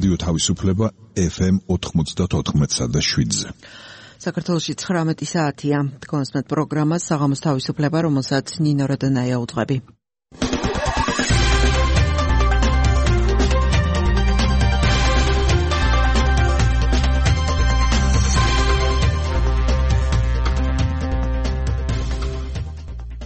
რადიო თავისუფლება FM 94.7-ზე. საქართველოში 19 საათია. კონსმეთ პროგრამა საღამოს თავისუფლება, რომელსაც ნინო როდანაია უძღვები.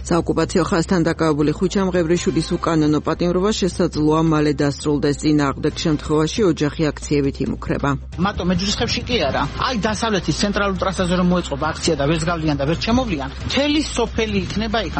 საოკუპაციო ხაზთან დაკავებული ხუჩამ ღევრიშვილის უკანონო პატიმრობა შესაძლოა მალე დასრულდეს. წინააღმდეგ შემთხვევაში ოჯახი აქციებით იმუქრება. მარტო მეჯლისხებში კი არა. აი დასავლეთის ცენტრალურ ტრასაზე რომ მოეწყობა აქცია და ვერც გავლიან და ვერც შემოვლიან, მთელი სოფელი იქნება იქ.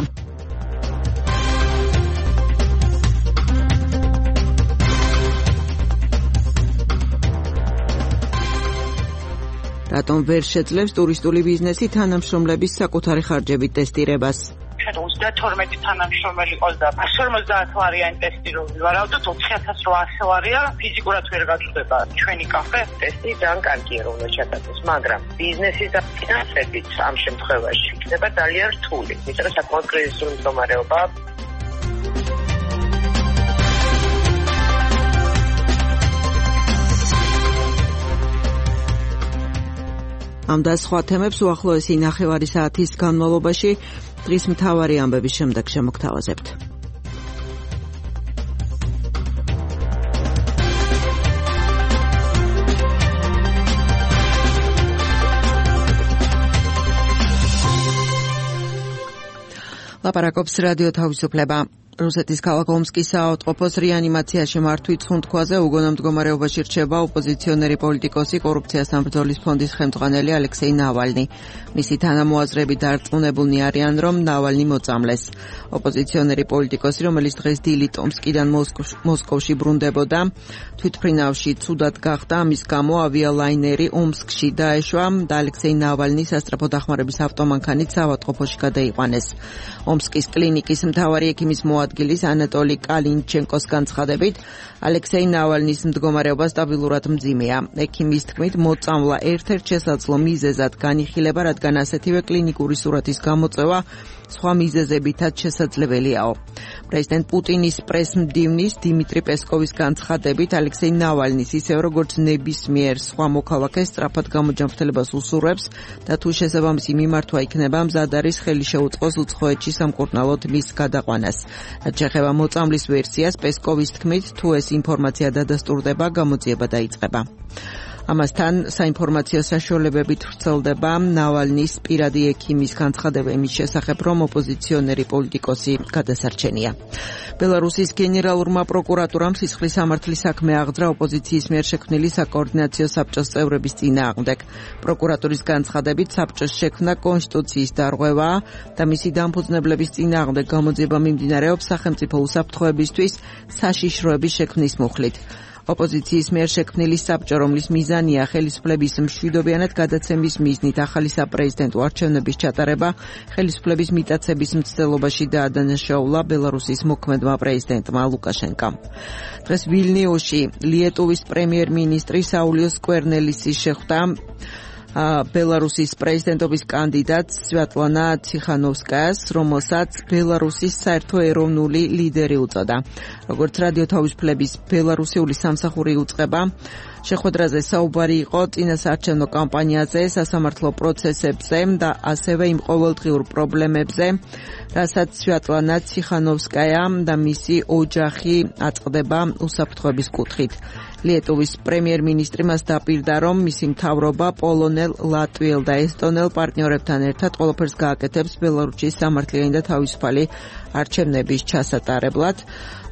რატომ ვერ შეძლებს ტურისტული ბიზნესი თანამშრომლების საკუთარი ხარჯებით ტესტირებას? 12 თანამშრომელი ყოლდა 150 ლარიანი ტესტი რომ ვივარავდოთ 4800 ლარია ფიზიკურად ვერ გაჩნდება ჩვენი კაფე ტესტი ძალიან კარგია რომ შეჭადდეს მაგრამ ბიზნესის და ფინანსებით ამ შემთხვევაში იქნება ძალიან რთული იმიტომ რომ საკმაოდ კრიზისული მდგომარეობა ამ და სხვა თემებს უახლოესი ნახევარი საათის განმავლობაში დღის მთავარი ამბების შემდეგ შემოგთავაზებთ. ლაპარაკობს რადიო თავისუფლება. რუსეთის ქალაქ ომსკის საავადმყოფოს რეანიმაციაში მართვით ხუნთქვაზე უგონო მდგომარეობაში რჩება ოპოზიციონერი პოლიტიკოსი კორუფციასთან ბრძოლის ფონდის ხელმძღვანელი ალექსეი ნავალნი. მისი თანამოაზრები დარწმუნებულნი არიან, რომ ნავალნი მოწამლეს. ოპოზიციონერი პოლიტიკოსი, რომელიც დღეს დილით ომსკიდან მოსკოვში ბრუნდებოდა, თვითმფრინავში ცუდად გახდა, ამის გამო ავიალაინერი ომსკში დაეშვა და ალექსეი ნავალნი სასწრაფო დახმარების ავტომანქანით საავადმყოფოში გადაიყვანეს. ომსკის კლინიკის მთავარი ექიმის ადგილის ანატოლი კალინჩენკოს განცხადებით, ალექსეი ნავალნის მდგომარეობა სტაბილურად მძიმეა. ექიმის თქმით, მოწამვლა ერთ-ერთ შესაძლო მიზეზად განიხილება, რადგან ასეთივე კლინიკური სურათის გამოწვევა სხვა მიზეზებითაც შესაძლებელიაო. პრეზიდენტ პუტინის პრესმდივნის დიმიტრი პესკოვის განცხადებით, ალექსეი ნავალნის ისევ როგორც ნებისმიერ სხვა მოქალაქეს სწრაფად გამოჯანმრთელებას უსურვებს და თუ შესაბამისი მიმართვა იქნება, მზად არის ხელი შეუწყოს უცხოეთში სამკურნალოდ მის გადაყვანას. რაც შეეხება მოწამვლის ვერსიას, პესკოვის თქმით, თუ ეს ინფორმაცია დადასტურდება, გამოძიება დაიწყება. ამასთან საინფორმაციო საშუალებებით ვრცელდება ნავალნის პირადი ექიმის განცხადება იმის შესახებ, რომ ოპოზიციონერი პოლიტიკოსი გადასარჩენია. ბელარუსის გენერალურმა პროკურატურამ სისხლის სამართლის საქმე აღძრა ოპოზიციის მიერ შექმნილი საკოორდინაციო საბჭოს წევრების წინააღმდეგ. პროკურატურის განცხადებით, საბჭოს შექმნა კონსტიტუციის დარღვევაა და მისი დამფუძნებლების წინააღმდეგ გამოძიება მიმდინარეობს სახელმწიფო უსაფრთხოებისთვის საშიშროების შექმნის მუხლით. ოპოზიციის მიერ შექმნილი საბჭო, რომლის მიზანია ხელისუფლების მშვიდობიანად გადაცემის მიზნით ახალი საპრეზიდენტო არჩევნების ჩატარება, ხელისუფლების მიტაცების მცდელობაში დაადანაშაულა ბელარუსის მოქმედმა პრეზიდენტმა ლუკაშენკამ. დღეს ვილნიუსში ლიეტუვის პრემიერ-მინისტრი საულიო სკვერნელისი შეხვდა ბელარუსის პრეზიდენტობის კანდიდატს სვიატლანა ციხანოვსკაიას, რომელსაც ბელარუსის საერთო ეროვნული ლიდერი უწოდა. როგორც რადიო თავისუფლების ბელარუსიული სამსახური უწყება, შეხვედრაზე საუბარი იყო წინასაარჩევნო კამპანიაზე, სასამართლო პროცესებზე და ასევე იმ ყოველდღიურ პრობლემებზე, რასაც სვიატლანა ციხანოვსკაია და მისი ოჯახი აწყდება უსაფრთხოების კუთხით. ლიეტუვის პრემიერ-მინისტრი მას დაპირდა, რომ მისი მთავრობა პოლონელ, ლატვიელ და ესტონელ პარტნიორებთან ერთად ყველაფერს გააკეთებს ბელარუსის სამართლიანი და თავისუფალი არჩევნების ჩასატარებლად.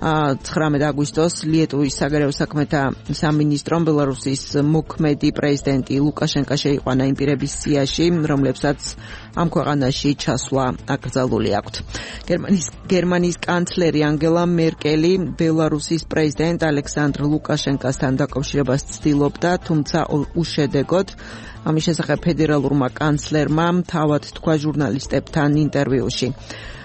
19 აგვისტოს ლიეტუვის საგარეო საქმეთა სამინისტრომ ბელარუსის მოქმედი პრეზიდენტი ლუკაშენკა შეიყვანა იმ პირების სიაში, რომლებსაც ამ ქვეყანაში ჩასვლა აკრძალული აქვთ. გერმანიის კანცლერი ანგელა მერკელი ბელარუსის პრეზიდენტ ალექსანდრ ლუკაშენკასთან დაკავშირებას ცდილობდა, თუმცა უშედეგოდ. ამის შესახებ ფედერალურმა კანცლერმა თავად თქვა ჟურნალისტებთან ინტერვიუში.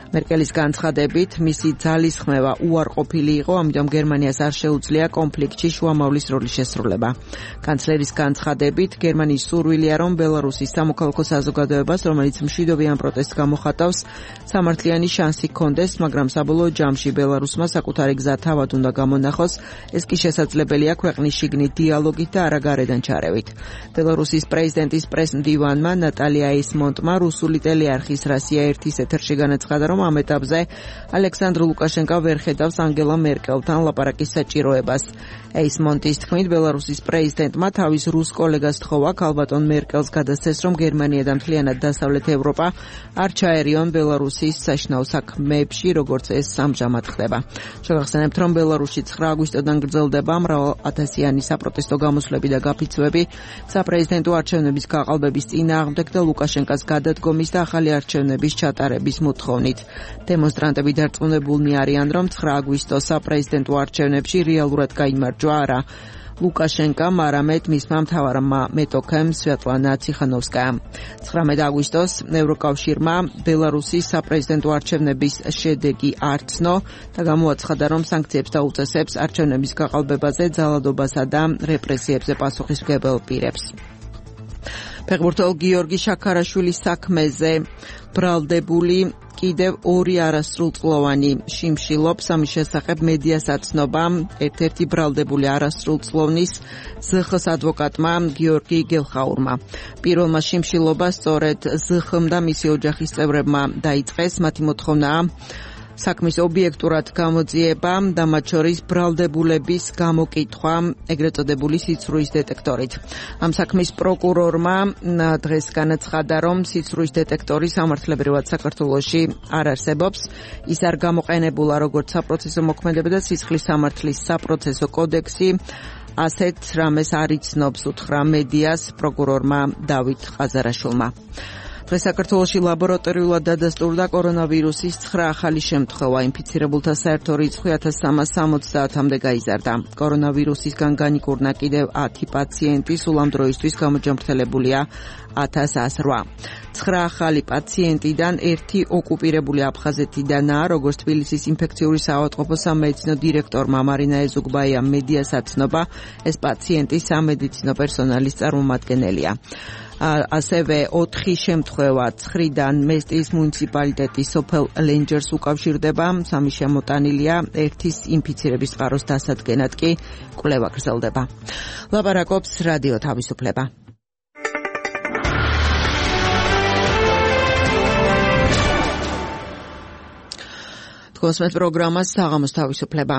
მერკელის განცხადებით, მისი ძალისხმევა უარყოფილი იყო, ამიტომ გერმანიას არ შეუძლია კონფლიქტში შუამავლის როლის შესრულება. კანცლერის განცხადებით, გერმანიის სურვილია, რომ ბელარუსის სამოქალაქო საზოგადოებას, რომელიც მშვიდობიან პროტესტს გამოხატავს, სამართლიანი შანსი ჰქონდეს, მაგრამ საბოლოო ჯამში ბელარუსმა საკუთარი გზა თავად უნდა გამონახოს, ეს კი შესაძლებელია ქვეყნის შიგნით დიალოგით და არა გარედან ჩარევით. ბელარუსის პრეზიდენტის პრესმდივანმა ნატალია ეისმონტმა რუსული ტელეარხის რასია 1-ის ეთერში განაცხადა, რომ ამ ეტაპზე ალექსანდრ ლუკაშენკო ვერ ხედავს ანგელა მერკელთან ლაპარაკის საჭიროებას. ეისმონტის თქმით, ბელარუსის პრეზიდენტმა თავის რუს კოლეგას თხოვა ქალბატონ მერკელს გადასცეს, რომ გერმანია და მთლიანად დასავლეთ ევროპა არ ჩაერიონ ბელარუსის საშინაო საქმეებში, როგორც ეს ამჟამად ხდება. შევახსენებთ, რომ ბელარუსში 9 აგვისტოდან გრძელდება მრავალ-ათასიანი საპროტესტო გამოსვლები და გაფიცვები საპრეზიდენტო არჩევნების გაყალბების წინააღმდეგ და ლუკაშენკას გადადგომის და ახალი არჩევნების ჩატარების მოთხოვნით. დემონსტრანტები დარწმუნებულნი არიან, რომ 9 აგვისტოს საპრეზიდენტო არჩევნებში რეალურად გაიმარჯვა არა ლუკაშენკამ, არამედ მისმა მთავარმა მეტოქემ სვეტლანა ციხანოვსკაიამ. 19 აგვისტოს ევროკავშირმა ბელარუსის საპრეზიდენტო არჩევნების შედეგი არ ცნო და გამოაცხადა, რომ სანქციებს დაუწესებს არჩევნების გაყალბებაზე, ძალადობასა და რეპრესიებზე პასუხისმგებელ პირებს. ფეხბურთელ გიორგი შაქარაშვილის საქმეზე ბრალდებული კიდევ 2 არასრულწლოვანი შიმშილობს, ამის შესახებ მედიას აცნობა ერთ-ერთი ბრალდებული არასრულწლოვნის ზხ-ს ადვოკატმა გიორგი გელხაურმა. პირველმა შიმშილობა სწორედ ზხ-მ და მისი ოჯახის წევრებმა დაიწყეს, მათი მოთხოვნაა საქმის ობიექტურად გამოძიება და მათ შორის ბრალდებულების გამოკითხვა, ეგრეთ წოდებული სიცრუის დეტექტორით. ამ საქმის პროკურორმა დღეს განაცხადა, რომ სიცრუის დეტექტორი სამართლებრივად საქართველოში არ არსებობს. ის არ გამოყენებულა როგორც საპროცესო მოქმედება და სისხლის სამართლის საპროცესო კოდექსი. ასეთ რამეს არ იცნობს უთხრა მედიას პროკურორმა დავით ყაზარაშვილმა. დღეს საქართველოში ლაბორატორიულად დადასტურდა კორონავირუსის 9 ახალი შემთხვევა. ინფიცირებულთა საერთო რიცხვი 1370-მდე გაიზარდა. კორონავირუსისგან განიკურნა კიდევ 10 პაციენტი, სულ ამ დროისთვის გამოჯამრთელებულია 1108. 9 ახალი პაციენტიდან 1 ოკუპირებული აფხაზეთიდანაა, როგორც თბილისის ინფექციური საავადმყოფო სამედიცინო დირექტორმა მარინა ეზუგბაიამ მედიას აცნობა, ეს პაციენტი სამედიცინო პერსონალის წარმომადგენელია. ასევე 4 შემთხვევა ცხრიდან მესტიის მუნიციპალიტეტის სოფელ ლენჯერს უკავშირდება, 3 შემოტანილია, 1-ის ინფიცირების წყაროს დასადგენად კი კვლევა გრძელდება. ლაპარაკობს რადიო თავისუფლება. თქვენს პროგრამას საღამოს თავისუფლება.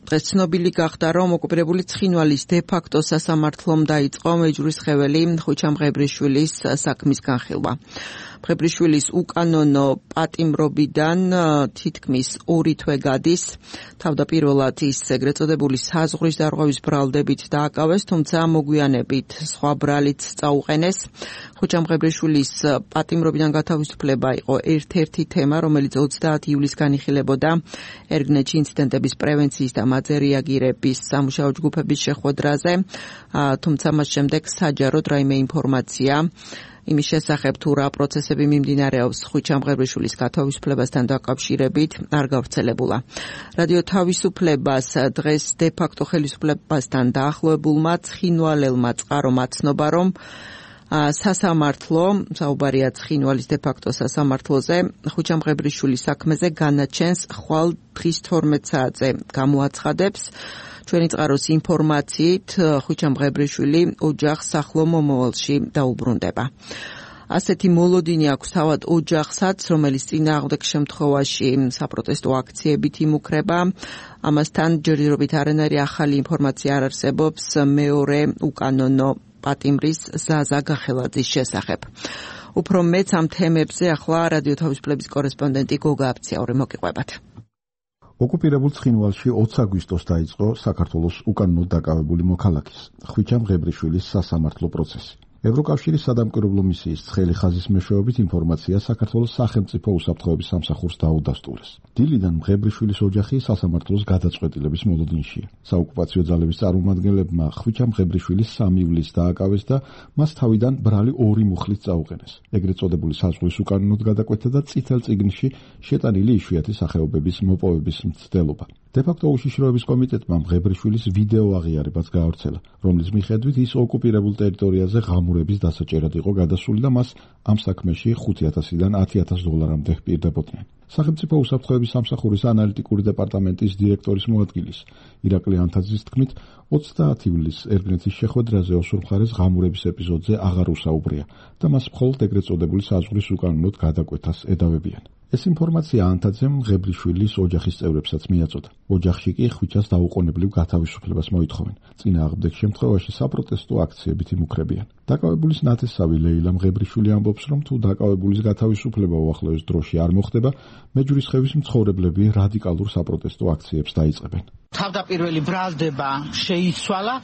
დღეს ცნობილი გახდა, რომ ოკუპირებული ცხინვალის დე-ფაქტო სასამართლომ დაიწყო მეჯურის ხეველი ხვიჩა მღებრიშვილის საქმის განხილვა. მღებრიშვილის უკანონო პატიმრობიდან თითქმის 2 თვე გადის. თავდაპირველად ის ეგრეთ წოდებული საზღვრის დარღვევის ბრალდებით დააკავეს, თუმცა მოგვიანებით სხვა ბრალიც წაუყენეს. ხვიჩა მღებრიშვილის პატიმრობიდან გათავისუფლება იყო ერთ-ერთი თემა, რომელიც 30 ივლისს განიხილებოდა ერგნეთში ინციდენტების პრევენციის და მათზე რეაგირების სამუშაო ჯგუფების შეხვედრაზე, თუმცა მას შემდეგ საჯაროდ რაიმე ინფორმაცია იმის შესახებ თუ რა პროცესები მიმდინარეობს ხვიჩა მღებრიშვილის გათავისუფლებასთან დაკავშირებით არ გავრცელებულა. რადიო თავისუფლებას დღეს დე-ფაქტო ხელისუფლებასთან დაახლოებულმა ცხინვალელმა წყარომ აცნობა, რომ სასამართლო, საუბარია ცხინვალის დე-ფაქტო სასამართლოზე, ხვიჩა მღებრიშვილის საქმეზე განაჩენს ხვალ დღის 12 საათზე გამოაცხადებს. ჩვენი წყაროს ინფორმაციით, ხვიჩა მღებრიშვილი ოჯახს ახლო მომავალში დაუბრუნდება. ასეთი მოლოდინი აქვს თავად ოჯახსაც, რომელიც წინააღმდეგ შემთხვევაში საპროტესტო აქციებით იმუქრება. ამასთან ჯერჯერობით არანაირი ახალი ინფორმაცია არ არსებობს მეორე უკანონო პატიმრის ზაზა გახელაძის შესახებ. უფრო მეც ამ თემებზე ახლა რადიო თავისუფლების კორესპონდენტი გოგა აფციაური მოგიყვებათ. ოკუპირებულ ცხინვალში 20 აგვისტოს დაიწყო საქართველოს უკანონოდ დაკავებული მოქალაქის ხვიჩა მღებრიშვილის სასამართლო პროცესი. ევროკავშირის სადამკვირვებლო მისიის ცხელი ხაზის მეშვეობით ინფორმაცია საქართველოს სახელმწიფო უსაფრთხოების სამსახურს დაუდასტურეს. დილიდან მღებრიშვილის ოჯახი სასამართლოს გადაწყვეტილების მოლოდინშია. საოკუპაციო ძალების წარმომადგენლებმა ხვიჩა მღებრიშვილის 3 ივლისს დააკავეს და მას თავიდან ბრალი 2 მუხლით წაუყენეს. ეგრეთ წოდებული საზღვრის უკანონოდ გადაკვეთა და წითელ წიგნში შეტანილი იშვიათი სახეობების მოპოვების მცდელობა. დე-ფაქტო უშიშროების კომიტეტმა მღებრიშვილის ვიდეო აღიარებაც გაავრცელა, რომლის მიხედვით ის ოკუპირებულ ტერიტორიაზე ღამურების დასაჭერად იყო გადასული და მას ამ საქმეში 5,000-დან 10,000 დოლარამდე ჰპირდებოდნენ. სახელმწიფო უსაფრთხოების სამსახურის ანალიტიკური დეპარტამენტის დირექტორის მოადგილის ირაკლი ანთაძის თქმით, 30 ივლისს ერგნეთის შეხვედრაზე ოსურ მხარეს ღამურების ეპიზოდზე აღარ უსაუბრია და მას მხოლოდ ეგრეთ წოდებული საზღვრის უკანონოდ გადაკვეთას ედავებიან. ეს ინფორმაცია ანთაძემ მღებრიშვილის ოჯახის წევრებსაც მიაწოდა. ოჯახში კი ხვიჩას დაუყოვნებლივ გათავისუფლებას მოითხოვენ. წინააღმდეგ შემთხვევაში საპროტესტო აქციებით იმუქრებიან. დაკავებულის ნათესავი ლეილა მღებრიშვილი ამბობს, რომ თუ დაკავებულის გათავისუფლება უახლოეს დროში არ მოხდება, მეჯვრისხევის მცხოვრებლები რადიკალურ საპროტესტო აქციებს დაიწყებენ. თავდაპირველი ბრალდება შეიცვალა,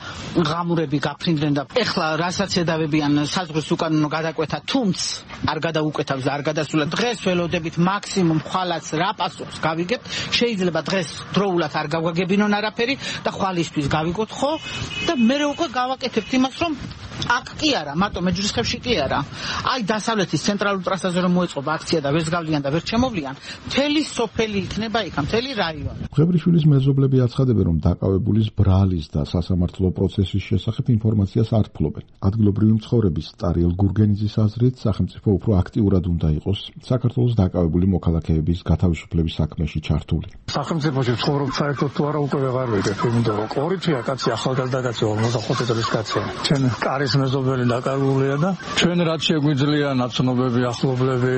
ღამურები გაფრინდნენ და ეხლა რასაც ედავებიან საზღვრის უკანონო გადაკვეთა, თუმცა არ გადაუკეთავს და არ გადასულა. დღეს ველოდებით მაქსიმუმ ხვალაც რა პასუხს გავიგებთ, შეიძლება დღეს დროულად არ გავაგებინონ არაფერი და ხვალისთვის გავიგოთ ხო და მე უკვე გავაკეთებთ იმას, რომ აქ კი არა, მარტო მეჯვრისხევში კი არა. აი დასავლეთის ცენტრალურ ტრასაზე რომ მოეწყობა აქცია და ვერც გავლიან და ვერც შემოვლიან, მთელი სოფელი იქნება იქ, მთელი რაიონი. მღებრიშვილის მეზობლები აცხადებენ, რომ დაკავებულის ბრალის და სასამართლო პროცესის შესახებ ინფორმაციას არ ფლობენ. ადგილობრივი მცხოვრების ტარიელ გურგენიძის აზრით, სახელმწიფო უფრო აქტიურად უნდა იყოს საქართველოს დაკავებული მოქალაქეების გათავისუფლების საქმეში ჩართული. სახელმწიფოში ცხოვრობ საერთოდ თუ არა უკვე ვეღარ ვიგებ, იმიტომ რომ კორითია კაცი ახალგაზრდა კაცი 45 წლის კაცია. ჩვენ კარის მეზობელი დაკავებულია და ჩვენ რაც შეგვიძლია ნაცნობები, ახლობლები,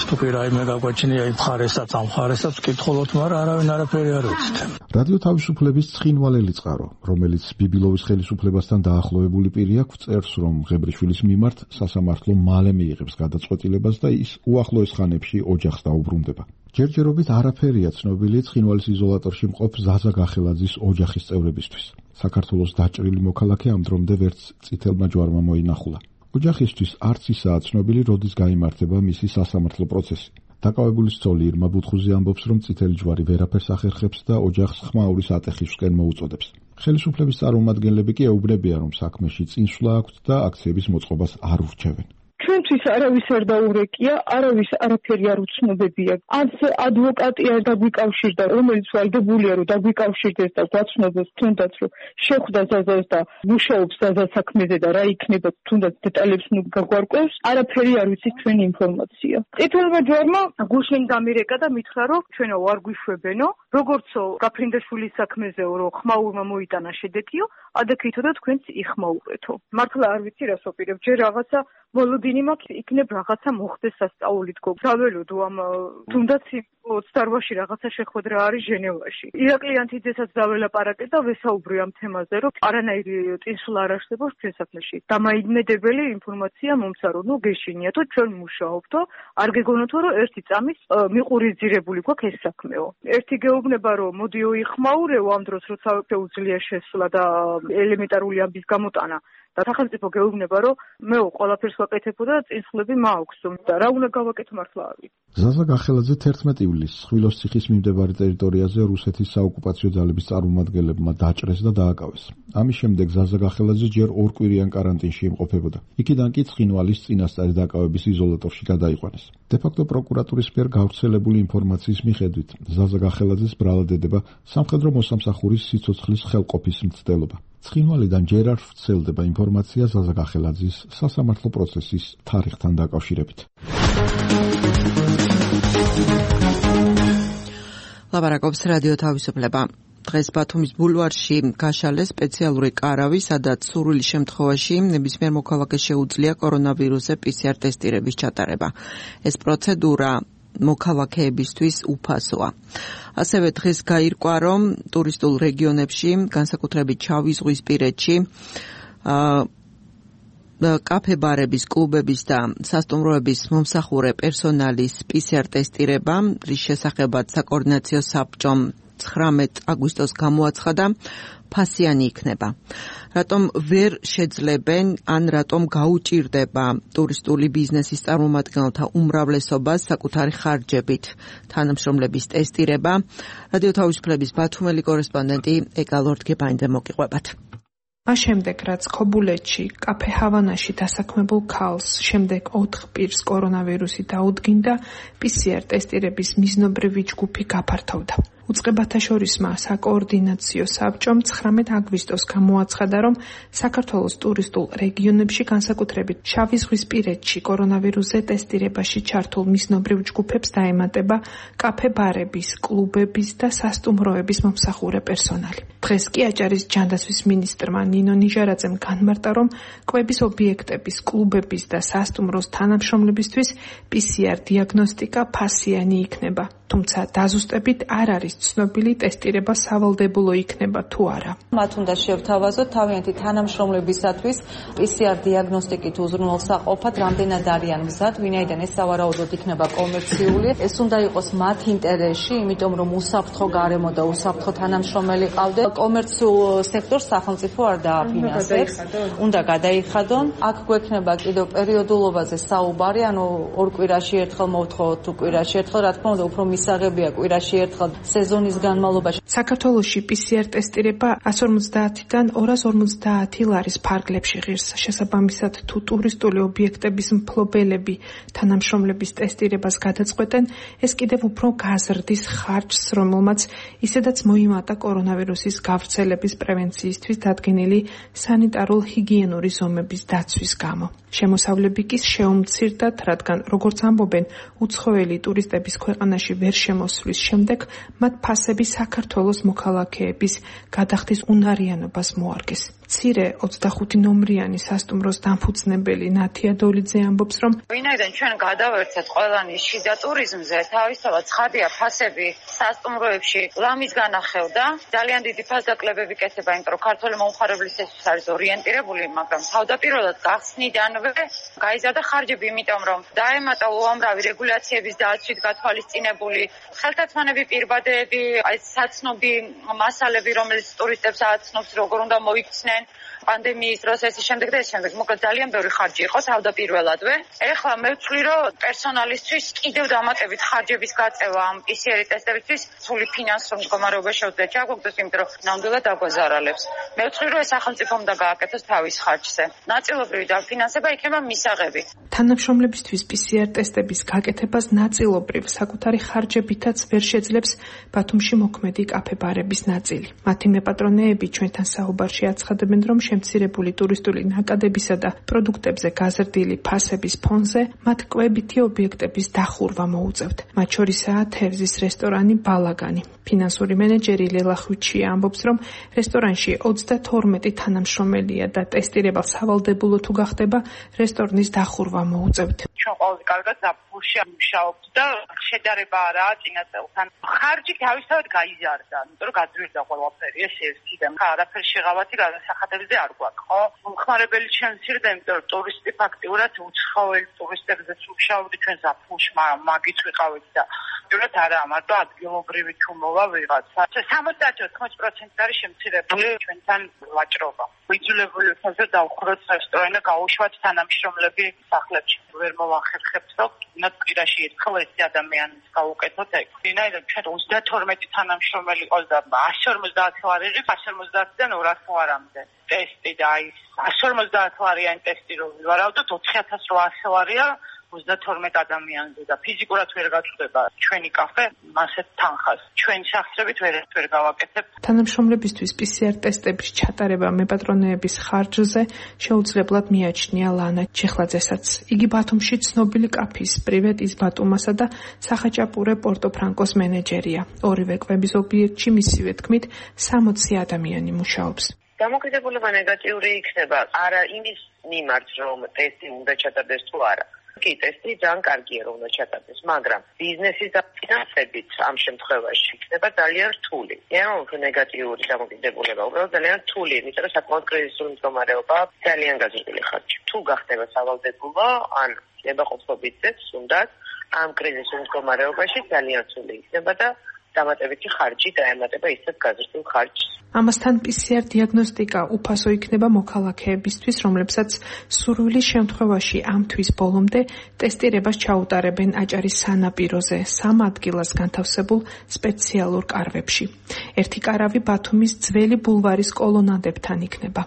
თუ კი რაიმე გაგვაჩნია იმ მხარესაც, ამ მხარესაც ვკითხულობთ, მაგრამ არავინ არაფერი არ ვიცით. რადიო თავისუფლების ცხინვალელი წყარო, რომელიც ბიბილოვის ხელისუფლებასთან დაახლოებული პირია, წერს, რომ მღებრიშვილის მიმართ სასამართლო მალე მიიღებს გადაწყვეტილებას და ის უახლოეს ხანებში ოჯახს დაუბრუნდება. ჯერჯერობით არაფერია ცნობილი ცხინვალის იზოლატორში მყოფ ზაზა გახელაძის ოჯახის წევრებისთვის. საქართველოს დაჭრილი მოქალაქე ამ დრომდე ვერც წითელმა ჯვარმა მოინახულა. ოჯახისთვის არც ისაა ცნობილი, როდის გაიმართება მისი სასამართლო პროცესი. დაკავებულის ცოლი ირმა ბუთხუზი ამბობს, რომ წითელი ჯვარი ვერაფერს ახერხებს და ოჯახს ხმაურის ატეხისკენ მოუწოდებს. ხელისუფლების წარმომადგენლები კი ეუბნებიან, რომ საქმეში წინსვლა აქვთ და აქციების მოწყობას არ ურჩევენ. ჩვენთვის არავის არ დაურეკია, არავის არაფერი არ უცნობებია. არც ადვოკატი არ დაგვიკავშირდა, რომელიც ვალდებულია, რომ დაგვიკავშირდეს და გვაცნობოს თუნდაც, რომ შეხვდა ზაზას და მუშაობს ზაზას საქმეზე და რა იქნება, თუნდაც დეტალებს ნუ გაგვარკვევს, არაფერი არ ვიცით ჩვენი ინფორმაცია. წითელმა ჯვარმა გუშინ დამირეკა და მითხრა, რომ ჩვენო არ გვიშვებენო, როგორცო გაფრინდაშვილის საქმეზეო, რომ ხმაურმა მოიტანა შედეგიო, ადექითო და თქვენც იხმაურეთო. მართლა არ ვიცი რას ვაპირებ, ჯერ რაღაცა მოლოდინი მაქვს, იქნებ რაღაცა მოხდეს სასწაულით გოგ. საველოდო ამ თუნდაც 28-ში რაღაცა შეხვედრა არის ჟენევაში. ირაკლი ანთაძესაც დაველაპარაკე და ვესაუბრე ამ თემაზე, რომ არანაირი წინსვლა არ არსებობს ჩვენ საქმეში. დამაიდმედებელი ინფორმაცია მომცა, რომ ნუ გეშინიათო, ჩვენ მუშაობთო, არ გეგონოთო, რომ ერთი წამის მიყურიძირებული გვაქვს ეს საქმეო. ერთი გეუბნება, რომ მოდიო იხმაურეო ამ დროს, როცა შეუძლია შესვლა და ელემენტარული ამბის გამოტანა. და სახელმწიფო გეუბნება, რომ მე ყველაფერს ვაკეთებო და წინსვლები მაქვს და რა უნდა გავაკეთო მართლა არ ვიცი. ზაზა გახელაძე 11 ივლისს ხვილოს ციხის მიმდებარე ტერიტორიაზე რუსეთის საოკუპაციო ძალების წარმომადგენლებმა დაჭრეს და დააკავეს. ამის შემდეგ ზაზა გახელაძე ჯერ 2 კვირიან კარანტინში იმყოფებოდა. იქიდან კი ცხინვალის წინასწარი დაკავების იზოლატორში გადაიყვანეს. დე-ფაქტო პროკურატურის მიერ გავრცელებული ინფორმაციის მიხედვით ზაზა გახელაძეს ბრალადედება სამხედრო მოსამსახურის სიცოცხლის ხელყოფის მცდელობა. ცხინვალიდან ჯერ არ ვრცელდება ინფორმაცია ზაზა გახელაძის სასამართლო პროცესის თარიღთან დაკავშირებით. ლაპარაკობს რადიო თავისუფლება. დღეს ბათუმის ბულვარში გაშალეს სპეციალური კარავი, სადაც სურვილის შემთხვევაში ნებისმიერ მოქალაქეს შეუძლია კორონავირუსზე PCR ტესტირების ჩატარება. ეს პროცედურა მოქალაქეებისთვის უფასოა. ასევე დღეს გაირკვა, რომ ტურისტულ რეგიონებში, განსაკუთრებით შავიზღვისპირეთში, კაფე-ბარების, კლუბების და სასტუმროების მომსახურე პერსონალის PCR ტესტირება, რის შესახებაც საკოორდინაციო საბჭომ 19 აგვისტოს გამოაცხადა, ფასიანი იქნება. Რატომ ვერ შეძლებენ ან რატომ გაუჭირდება ტურისტული ბიზნესის წარმომადგენელთა უმრავლესობას საკუთარი ხარჯებით თანამშრომლების ტესტირება? რადიო თავისუფლების ბათუმელი კორესპონდენტი ეკა ლორდგებაინდე მოგიყვებათ. მას შემდეგ, რაც ქობულეთში, კაფე ჰავანაში დასაქმებულ ქალს შემდეგ 4 პირს კორონავირუსი დაუდგინდა, PCR ტესტირების მიზნობრივი ჯგუფი გაფართოვდა. უწყებათა შორისმა საკოორდინაციო საბჭომ 19 აგვისტოს გამოაცხადა, რომ საქართველოს ტურისტულ რეგიონებში, განსაკუთრებით შავიზღვისპირეთში კორონავირუსზე ტესტირებაში ჩართულ მიზნობრივ ჯგუფებს დაემატება კაფე-ბარების, კლუბების და სასტუმროების მომსახურე პერსონალი. დღეს კი აჭარის ჯანდაცვის მინისტრმა ნინო ნიჟარაძემ განმარტა, რომ კვების ობიექტების, კლუბების და სასტუმროს თანამშრომლებისთვის PCR დიაგნოსტიკა ფასიანი იქნება. თუმცა დაზუსტებით არ არის ცნობილი ტესტირება სავალდებულო იქნება თუ არა. მათ უნდა შევთავაზოთ თავიანთი თანამშრომლებისათვის PCR დიაგნოსტიკით უზრუნველსაყოფად რამდენად არიან მზად, ვინაიდან ეს სავარაუდოდ იქნება კომერციული. ეს უნდა იყოს მათ ინტერესში, იმიტომ რომ უსაფრთხო გარემო და უსაფრთხო თანამშრომელი ყავდეს. კომერციულ სექტორს სახელმწიფო არ დააფინანსებს. უნდა გადაიხადონ. აქ გვექნება კიდევ პერიოდულობაზე საუბარი, ანუ 2 კვირაში ერთხელ მოვთხოვოთ თუ კვირაში ერთხელ, რა თქმა უნდა, უფრო მისაღებია კვირაში ერთხელ სეზონის განმავლობაში. საქართველოში PCR ტესტირება 150-დან 250 ლარის ფარგლებში ღირს. შესაბამისად, თუ ტურისტული ობიექტების მფლობელები თანამშრომლების ტესტირებას გადაწყვეტენ, ეს კიდევ უფრო გაზრდის ხარჯს, რომელმაც ისედაც მოიმატა კორონავირუსის გავრცელების პრევენციისთვის დადგენილი სანიტარულ-ჰიგიენური ზომების დაცვის გამო. შემოსავლები კი შეუმცირდათ, რადგან, როგორც ამბობენ, უცხოელი ტურისტების ქვეყანაში ვერ შემოსვლის შემდეგ მათ ფასები საქართველოს მოქალაქეების გადახდის უნარიანობას მოარგეს. მცირე 25 ნომრიანი სასტუმროს დამფუძნებელი ნათია დოლიძე ამბობს, რომ ვინაიდან ჩვენ გადავერთეთ ყველანი შიდა ტურიზმზე, თავისთავად ცხადია ფასები სასტუმროებში ლამის განახევდა. ძალიან დიდი ფასდაკლებები კეთება, იმიტომ რომ ქართველი მომხმარებლისთვის არის ორიენტირებული, მაგრამ თავდაპირველად გახსნიდანვე გაიზარდა ხარჯები, იმიტომ რომ დაემატა უამრავი რეგულაციების დაცვით გათვალისწინებული ხელთათმანები, პირბადეები, საცნობი მასალები, რომელიც ტურისტებს აცნობს, როგორ უნდა მოიქცნენ პანდემიის დროს ეს შემდეგ და ეს შემდეგ. მოკლედ ძალიან ბევრი ხარჯი იყო თავდაპირველადვე. ეხლა მე ვთვლი, რომ პერსონალისთვის კიდევ დამატებით ხარჯების გაწევა ამ PCR ტესტებისთვის სრული ფინანსურ მდგომარეობა შეუძლია ჩაგვაგდეს, იმიტომ რომ ნამდვილად აგვაზარალებს. მე ვთვლი, რომ ეს სახელმწიფო უნდა გააკეთოს თავის ხარჯზე. ნაწილობრივი დაფინანსება იქნება მისაღები. თანამშრომლებისთვის PCR ტესტების გაკეთებას ნაწილობრივ საკუთარი ხარჯებითაც ვერ შეძლებს ბათუმში მოქმედი კაფე-ბარების ნაწილი. მათი მეპატრონეები ჩვენთან საუბარში აცხადებენ, რომ შემცირებული ტურისტული ნაკადებისა და პროდუქტებზე გაზრდილი ფასების ფონზე მათ კვებითი ობიექტების დახურვა მოუწევთ. მათ შორისაა თევზის რესტორანი ბალაგანი. ფინანსური მენეჯერი ლელა ხვიჩია ამბობს, რომ რესტორანში 22 თანამშრომელია და ტესტირება სავალდებულო თუ გახდება, რესტორნის დახურვა მოუწევთ. ჩვენ ყველაზე კარგად ზაფხულში მუშაობთ და შედარება არაა წინა წელთან. ხარჯი თავისთავად გაიზარდა, იმიტომ რომ გაძვირდა ყველაფერი, ეს ერთი და არაფერი შეღავათი გადასახადებზე არ გვაქვს, ხო? მომხმარებელი შემცირდა, იმიტომ რომ ტურისტი ფაქტიურად უცხოელი ტურისტებზეც მუშაობდი ჩვენ ზაფხულში, მაგით ვიყავით და ფაქტიურად არაა, მარტო ადგილობრივი თუ მოვა ვიღაცა. 70-80% არის შემცირებული ჩვენთან ვაჭრობა. ვიძულებული ვქონთ დავხროთ რესტორანი და გაუშვათ თანამშრომლები სახლებში. ვერ მოვახერხებთ, რომ ნათ კვირაში ერთხელ ეს ადამიანის გაუკეთოთ ეგ. ვინაიდან ჩვენ 32 თანამშრომელი ყავს და 150 ლარი ღირს, 150-დან 200 ლარამდე. ტესტი და აი 150 ლარიანი ტესტი რო ვივარავდოთ 4800 ლარია 32 ადამიანზე და ფიზიკურად ვერ გაწვდება ჩვენი კაფე ასეთ თანხას. ჩვენი სახსრებით ვერ გავაკეთებ. თანამშრომლებისთვის PCR ტესტების ჩატარება მეპატრონეების ხარჯზე შეუძლებლად მიაჩნია ლანა ჩეხლაძესაც. იგი ბათუმში ცნობილი კაფის პრივეტის ბატუმასა და სახაჭაპურე პორტოფრანკოს მენეჯერია. ორივე კვების ობიექტში მისივე თქმით 60 ადამიანი მუშაობს. დამოკიდებულება ნეგატიური იქნება არა იმის მიმართ, რომ ტესტი უნდა ჩატარდეს თუ არა. კი, ტესტი ძალიან კარგია, რომ უნდა ჩატარდეს, მაგრამ ბიზნესის და ფინანსებით ამ შემთხვევაში იქნება ძალიან რთული. ანუ ნეგატიური დამოკიდებულება უბრალოდ ძალიან რთული, იმიტომ რომ საკმაოდ კრიზისული მდგომარეობა ძალიან გაზრდილი ხარჯი. თუ გახდება სავალდებულო, ან ნებაყოფლობითაც უნდათ ამ კრიზისულ მდგომარეობაში ძალიან რთული იქნება და დამატებითი ხარჯი დაემატება ისეთ გაზრდილ ხარჯს. ამასთან PCR დიაგნოსტიკა უფასო იქნება მოქალაქეებისთვის, რომლებსაც სურვილის შემთხვევაში ამ თვის ბოლომდე ტესტირებას ჩაუტარებენ აჭარის სანაპიროზე 3 ადგილას განთავსებულ სპეციალურ კარვებში. ერთი კარავი ბათუმის ძველი ბულვარის კოლონადებთან იქნება.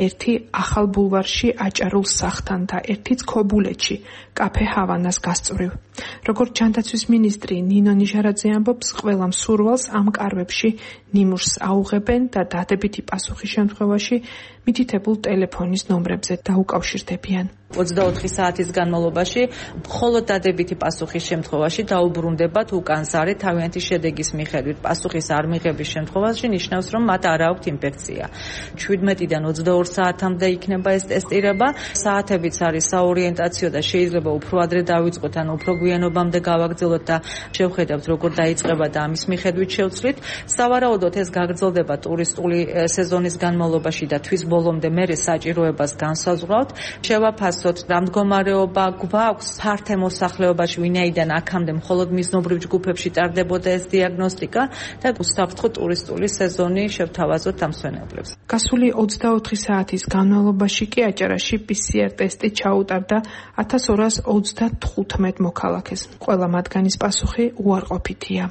ერთი ახალ ბულვარში აჭარულ სახლთან და ერთიც ქობულეთში კაფე ჰავანას გასწვრივ. როგორც ჯანდაცვის მინისტრი ნინო ნიჟარაძე ამბობს, ყველა მსურვალს ამ კარვებში ნიმუშს აუღებენ და დადებითი პასუხის შემთხვევაში მითითებულ ტელეფონის ნომრებზე დაუკავშირდებიან. 24 საათის განმავლობაში მხოლოდ დადებითი პასუხის შემთხვევაში დაუბრუნდებათ უკანზარე თავიანთი შედეგის მიხედვით. პასუხის არ მიღების შემთხვევაში ნიშნავს, რომ მათ არ აქვთ ინფექცია. 17-დან 22 საათამდე იქნება ეს ტესტირება. საათებიც არის საორიენტაციო და შეიძლება უფრო ადრე დავიწყოთ, ან უფრო გვიანობამდე გავაგრძელოთ და შევხედავთ, როგორ დაიწყება და ამის მიხედვით შევცვლით. სავარაუდოდ ეს გაგრძელდება ტურისტული სეზონის განმავლობაში და თვის ბოლომდე მერე საჭიროებას განსაზღვრავთ. შევაფასოთ რა მდგომარეობა გვაქვს ფართე მოსახლეობაში, ვინაიდან აქამდე მხოლოდ მიზნობრივ ჯგუფებში ტარდებოდა ეს დიაგნოსტიკა და უსაფრთხო ტურისტული სეზონი შევთავაზოთ ამ მსვენებლებს. გასული 24 საათის განმავლობაში კი აჭარაში PCR ტესტი ჩაუტარდა 1235 მოქალაქეს. ყველა მათგანის პასუხი უარყოფითია.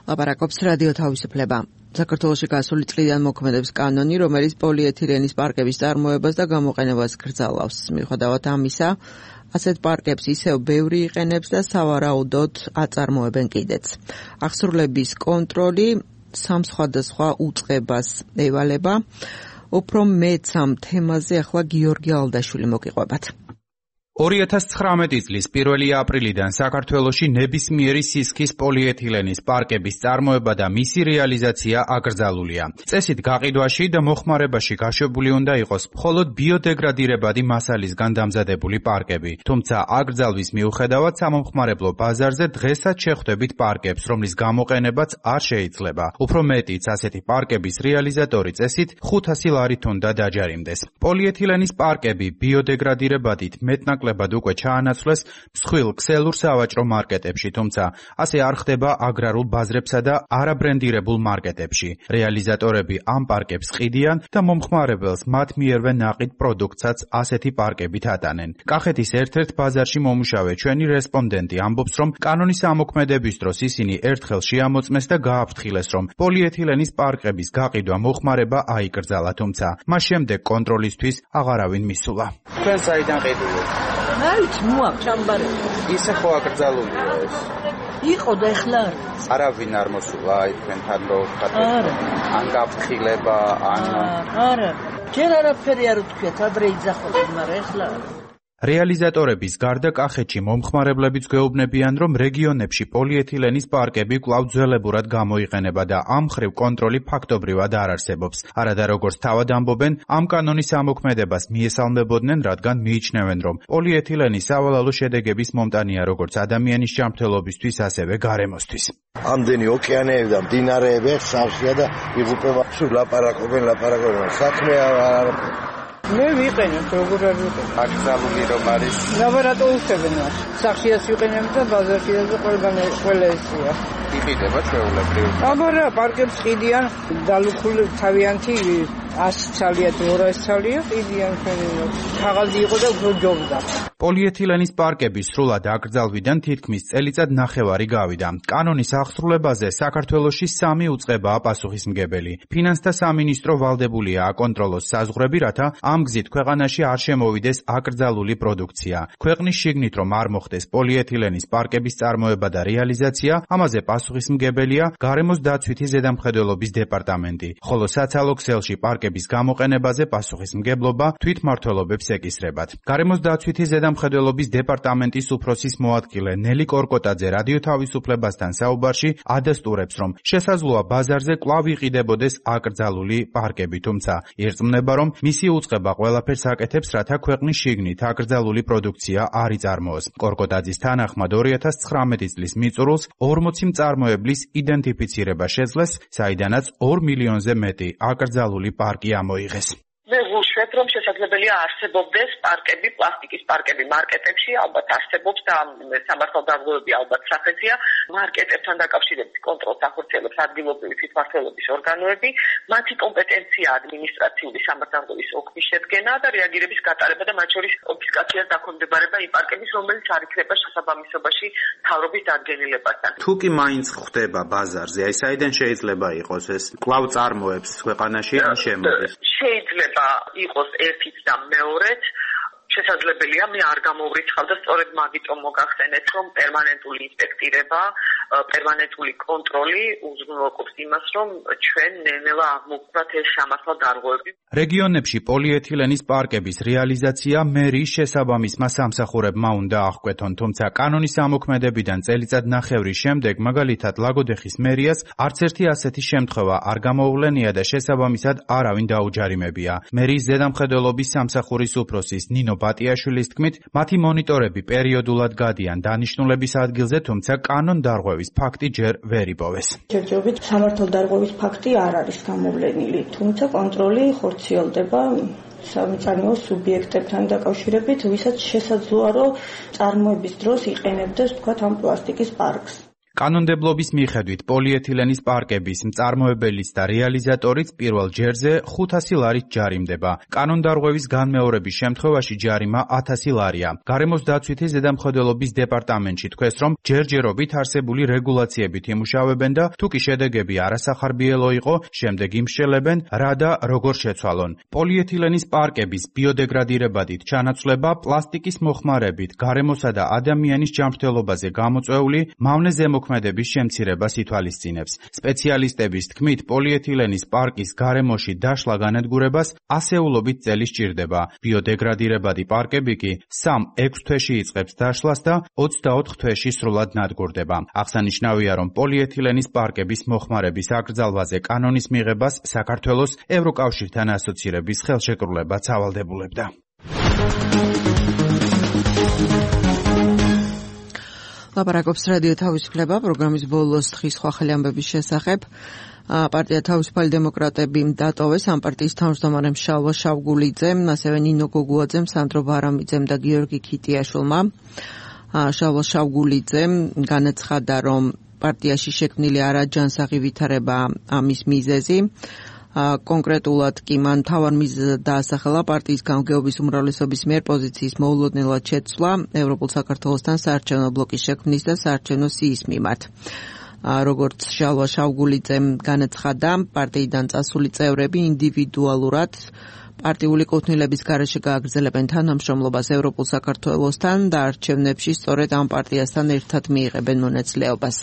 ლაპარაკობს რადიო თავისუფლება. საქართველოში გასული წლიდან მოქმედებს კანონი, რომელიც პოლიეთილენის პარკების წარმოებას და გამოყენებას გრძელავს. მიუხედავად ამისა, ასეთ პარკებს ისევ ბევრი იყენებს და სავარაუდოდ აწარმოებენ კიდეც. აღსრულების კონტროლი სამ სხვადასხვა უწყებას ევალება. უფრო მეც ამ თემაზე ახლა გიორგი ალდაშვილი მოგიყვებათ. 2019 წლის 1 აპრილიდან საქართველოში ნებისმიერი სისქის პოლიეთილენის პარკების წარმოება და მისი რეალიზაცია აკრძალულია. წესით გაყიდვაში და მოხმარებაში გაშვებული უნდა იყოს მხოლოდ ბიოდეგრადირებადი მასალისგან დამზადებული პარკები. თუმცა აკრძალვის მიუხედავად სამომხმარებლო ბაზარზე დღესაც შეხვდებით პარკებს, რომლის გამოყენებაც არ შეიძლება. უფრო მეტიც, ასეთი პარკების რეალიზატორი წესით 500 ლარით უნდა დაჯარიმდეს. პოლიეთილენის პარკები ბიოდეგრადირებადით მეტნაკლებად უკვე ჩაანაცვლეს მსხვილ ქსელურ სავაჭრო მარკეტებში, თუმცა ასე არ ხდება აგრარულ ბაზრებსა და არაბრენდირებულ მარკეტებში. რეალიზატორები ამ პარკებს ყიდიან და მომხმარებელს მათ მიერვე ნაყიდ პროდუქტსაც ასეთი პარკებით ატანენ. კახეთის ერთ-ერთ ბაზარში მომუშავე ჩვენი რესპონდენტი ამბობს, რომ კანონის ამოქმედების დროს ისინი ერთხელ შეამოწმეს და გააფრთხილეს, რომ პოლიეთილენის პარკების გაყიდვა მოხმარება აიკრძალა, თუმცა მას შემდეგ კონტროლისთვის აღარავინ მისულა. თქვენ საიდან ყიდულობთ? აიც მოაქვს ჩამბარები. ისე ხო აკრძალულია ეს? იყო და ეხლა არავინ არ მოსულა აი თქვენთან რო ვთქვათ. ან გაფრთხილება, ან არა. ჯერ არაფერი არ ვთქვათ, ადრე იძახოდნენ, მაგრამ ეხლა რეალიზატორების გარდა კახეთში მომხმარებლებიც გვეუბნებიან, რომ რეგიონებში პოლიეთილენის პარკები კვლავ ძველებურად გამოიყენება და ამ მხრივ კონტროლი ფაქტობრივად არ არსებობს. არადა როგორც თავად ამბობენ, ამ კანონის ამოქმედებას მიესალმებოდნენ, რადგან მიიჩნევენ, რომ პოლიეთილენი სავალალო შედეგების მომტანია როგორც ადამიანის ჯანმრთელობისთვის, ასევე გარემოსთვის. ამდენი ოკეანეები და მდინარეები ხსავსია და იღუპება. სულ ლაპარაკობენ, საქმე არ მე ვიყენებ, როგორ არ ვიყენებ. აკრძალული რომ არის. ლაბორატორიებენ მას. სახიას ვიყენებ და ბაზარშია და ყველა ესია. იყიდება ჩვეულებრივ. აბარა, პარკებს ყიდიან, დალუქული თავიანთი 100 ცალია, 200 ცალია, ყიდიან ჩვენი. ქაღალდი იყო და უფრო ჯობდა. პოლიეთილენის პარკები სრულად აკრძალვიდან თითქმის წელიწად ნახევარი გავიდა. კანონის აღსრულებაზე საქართველოში 3 უწყებაა პასუხისმგებელი. ფინანსთა სამინისტრო ვალდებულია აკონტროლოს საზღვრები, რათა ამ გზით ქვეყანაში არ შემოვიდეს აკრძალული პროდუქცია. ქვეყნის შიგნით რომ არ მოხდეს პოლიეთილენის პარკების წარმოება და რეალიზაცია, ამაზე პასუხისმგებელია გარემოს დაცვითი ზედამხედველობის დეპარტამენტი, ხოლო საცალო ქსელში პარკების გამოყენებაზე პასუხისმგებლობა თვითმმართველობებს ეკისრებათ. გარემოს დაცვითი ზედამხედველობის დეპარტამენტის უფროსის მოადგილე ნელი კორკოტაძე რადიო თავისუფლებასთან საუბარში ადასტურებს, რომ შესაძლოა ბაზარზე კვლავ იყიდებოდეს აკრძალული პარკები, თუმცა ირწმუნება, რომ მისი უწყება ყველაფერს აკეთებს, რათა ქვეყნის შიგნით აკრძალული პროდუქცია არ იწარმოოს. კორკოტაძის თანახმად 2019 წლის მიწურულს 40 მწარმოებლის იდენტიფიცირება შეძლეს, საიდანაც 2 მილიონზე მეტი აკრძალული პარკი ამოიღეს. მე ვუშვებ, რომ შესაძლებელია არსებობდეს პარკები, პლასტიკის პარკები მარკეტებში, ალბათ არსებობს და სამართალდამცავები ალბათ სახეცია. მარკეტებთან დაკავშირებით კონტროლს ახორციელებს ადგილობრივი თვითმმართველობის ორგანოები, მათი კომპეტენცია ადმინისტრაციული სამართალდამცავის ოქმის შედგენა და რეაგირების გატარება და მათ შორის კონფისკაციას დაქვემდებარება იმ პარკების, რომელიც არ იქნება შესაბამისობაში მთავრობის დადგენილებასთან. თუ კი მაინც ხდება ბაზარზე, აი საიდან შეიძლება იყოს ეს კვლავ წარმოებს ქვეყანაში ან შემოდის? შეიძლება იყოს ერთიც და მეორეც. შესაძლებელია მე არ გამოვრიცხავ და სწორედ მაგიტომ მოგახსენეთ, რომ პერმანენტული ინსპექტირება, პერმანენტული კონტროლი უზრუნველყოფს იმას, რომ ჩვენ ნელ-ნელა აღმოვხვრათ ეს სამართალდამცავები. რეგიონებში პოლიეთილენის პარკების რეალიზაცია მერიის შესაბამისმა სამსახურებმა უნდა აღკვეთონ, თუმცა კანონის ამოქმედებიდან წელიწად ნახევრის შემდეგ, მაგალითად ლაგოდეხის მერიას არც ერთი ასეთი შემთხვევა არ გამოუვლენია და შესაბამისად არავინ დაუჯარიმებია. მერიის ზედამხედველობის სამსახურის უფროსის ნინო ბატიაშვილის თქმით, მათი მონიტორები პერიოდულად გადიან დანიშნულების ადგილზე, თუმცა კანონდარღვევის ფაქტი ჯერ ვერ იპოვეს. ჯერჯერობით სამართალდარღვევის ფაქტი არ არის გამოვლენილი, თუმცა კონტროლი ხორციელდება სამწარმოო სუბიექტებთან დაკავშირებით, ვისაც შესაძლოა, რომ წარმოების დროს იყენებდეს, თქვათ, ამ პლასტიკის პარკს. კანონმდებლობის მიხედვით პოლიეთილენის პარკების მწარმოებელიც და რეალიზატორიც პირველ ჯერზე 500 ლარით ჯარიმდება. კანონდარღვევის განმეორების შემთხვევაში ჯარიმა 1000 ლარია. გარემოს დაცვითი ზედამხედველობის დეპარტამენტში თქვეს, რომ ჯერჯერობით არსებული რეგულაციებით იმუშავებენ და თუ კი შედეგები არასახარბიელო იყო, შემდეგ იმშელებენ, რა და როგორ შეცვალონ. პოლიეთილენის პარკების ბიოდეგრადირებადით ჩანაცვლება პლასტიკის მოხმარებით, გარემოსა და ადამიანის ჯანმრთელობაზე გამოწვეული მავნე ზემოქმედების შემცირებას ითვალისწინებს. სპეციალისტების თქმით, პოლიეთილენის პარკის გარემოში დაშლა განადგურებას ასეულობით წელი სჭირდება. ბიოდეგრადირებადი პარკები კი 3-6 თვეში იწყებს დაშლას და 24 თვეში სრულად ნადგურდება. აღსანიშნავია, რომ პოლიეთილენის პარკების მოხმარების აკრძალვაზე კანონის მიღებას საქართველოს ევროკავშირთან ასოცირების ხელშეკრულებაც ავალდებულებდა. ლაპარაკობს რადიო თავისუფლება პროგრამის ბოლოს დღის სხვა ხელი ამბების შესახებ. პარტია თავისუფალი დემოკრატები დატოვეს ამ პარტიის თავმჯდომარემ შალვა შავგულიძემ, ასევე ნინო გოგუაძემ, სანდრო ბარამიძემ და გიორგი ქიტიაშვილმა. შალვა შავგულიძემ განაცხადა, რომ პარტიაში შექმნილი არაჯანსაღი ვითარება ამის მიზეზი. კონკრეტულად კი მან მთავარ მიზეზად დაასახელა პარტიის გამგეობის უმრავლესობის მიერ პოზიციის მოულოდნელად შეცვლა ევროპულ საქართველოსთან საარჩევნო ბლოკის შექმნის და საარჩევნო სიის მიმართ. როგორც შალვა შავგულიძემ განაცხადა, პარტიიდან წასული წევრები ინდივიდუალურად პარტიული კუთვნილების გარეშე გააგრძელებენ თანამშრომლობას ევროპულ საქართველოსთან და არჩევნებში სწორედ ამ პარტიასთან ერთად მიიღებენ მონაწილეობას.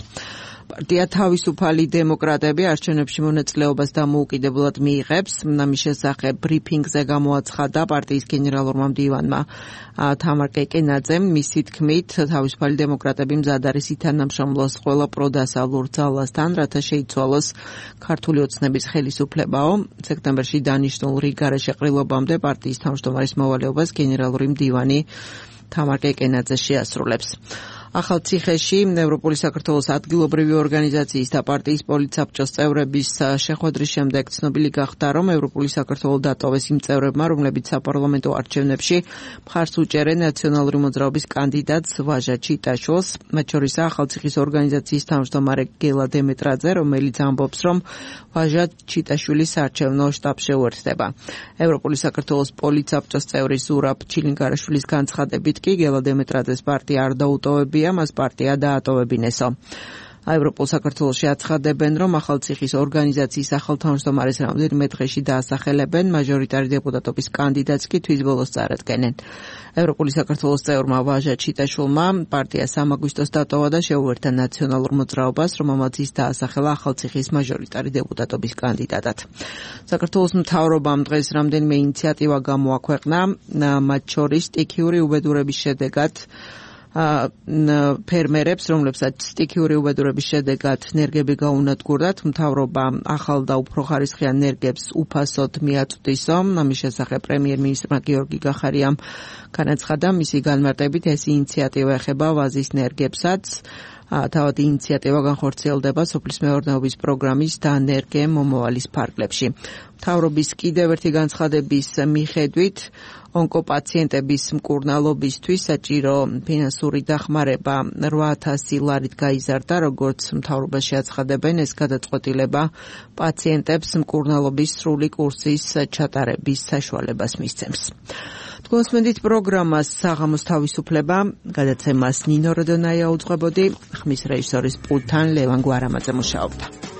პარტია თავისუფალი დემოკრატები არჩევნებში მონაწილეობას დამოუკიდებლად მიიღებს. ამის შესახებ ბრიფინგზე გამოაცხადა პარტიის გენერალურმა მდივანმა თამარ კეკენაძემ. მისი თქმით, თავისუფალი დემოკრატები მზად არის ითანამშრომლოს ყველა პროდასალურ ძალასთან, რათა შეიცვალოს ქართული ოცნების ხელისუფლებაო. სექტემბერში დანიშნულ რიგარე შეყრილობამდე პარტიის თავმჯდომარის მოვალეობას გენერალური მდივანი თამარ კეკენაძე შეასრულებს. ახალციხეში ევროპული საქართველოს ადგილობრივი ორგანიზაციის და პარტიის პოლიცსაბჭოს წევრების შეხვედრის შემდეგ ცნობილი გახდა, რომ ევროპული საქართველო დატოვეს იმ წევრებმა, რომლებიც საპარლამენტო არჩევნებში მხარს უჭერენ ნაციონალური მოძრაობის კანდიდატს ვაჟა ჩიტაშვილს, მათ შორისაა ახალციხის ორგანიზაციის თავმჯდომარე გელა დემეტრაძე, რომელიც ამბობს, რომ ვაჟა ჩიტაშვილი საარჩევნო შტაბს შეუერთდება. ევროპული საქართველოს პოლიცსაბჭოს წევრი ზურაბ ჩილინგარაშვილის განცხადებით კი გელა დემეტრაძეს პარტია არ დაუტოვებია, მას პარტია დაატოვებინესო. ევროპულ საქართველოში აცხადებენ, რომ ახალციხის ორგანიზაციის ახალ თავმჯდომარეს რამდენიმე დღეში დაასახელებენ, მაჟორიტარი დეპუტატობის კანდიდატს კი თვის ბოლოს წარადგენენ. ევროპული საქართველოს წევრმა ვაჟა ჩიტაშვილმა პარტია 3 აგვისტოს დატოვა და შეუერთა ნაციონალურ მოძრაობას, რომელმაც ის დაასახელა ახალციხის მაჟორიტარი დეპუტატობის კანდიდატად. საქართველოს მთავრობამ დღეს რამდენიმე ინიციატივა გამოაქვეყნა, მათ შორის სტიქიური უბედურების შედეგად ფერმერებს, რომლებსაც სტიქიური უბედურების შედეგად ნერგები გაუნადგურდათ, მთავრობა ახალ და უფრო ხარისხიან ნერგებს უფასოდ მიაწვდისო. ამის შესახებ პრემიერ-მინისტრმა გიორგი გახარიამ განაცხადა, მისი განმარტებით ეს ინიციატივა ეხება ვაზის ნერგებსაც. თავად ინიციატივა განხორციელდება სოფლის მეურნეობის პროგრამის დანერგე მომავალის ფარგლებში. მთავრობის კიდევ ერთი განცხადების მიხედვით ონკოპაციენტების მკურნალობისთვის საჭირო ფინანსური დახმარება 8,000 ლარით გაიზარდა, როგორც მთავრობაში აცხადებენ, ეს გადაწყვეტილება პაციენტებს მკურნალობის სრული კურსის ჩატარების საშუალებას მისცემს. თქვენსმენდით პროგრამას საღამოს თავისუფლება, გადაცემას ნინო როდონაია უძღვებოდი, ხმის რეჟისორის პულტთან ლევან გვარამაძე მუშაობდა.